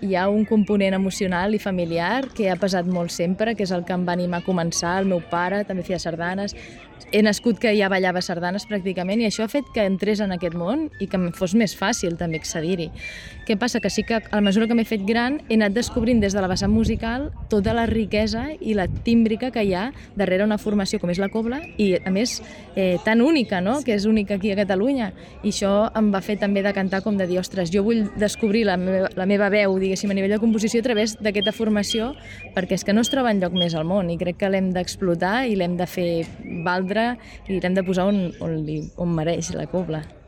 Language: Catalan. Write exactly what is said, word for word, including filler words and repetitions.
Hi ha un component emocional i familiar que ha pesat molt sempre, que és el que em va animar a començar. El meu pare també feia sardanes. He nascut que ja ballava sardanes pràcticament i això ha fet que entrés en aquest món i que em fos més fàcil també accedir-hi. Què passa? Que sí que a mesura que m'he fet gran he anat descobrint des de la vessant musical tota la riquesa i la tímbrica que hi ha darrere una formació com és la cobla i a més eh, tan única, no? Que és única aquí a Catalunya. I això em va fer també de cantar com de dir, ostres, jo vull descobrir la meva, la meva veu, diguéssim, a nivell de composició a través d'aquesta formació, perquè és que no es troba enlloc més al món i crec que l'hem d'explotar i l'hem de fer valdre i l'hem de posar on, on, li, on mereix la cobla.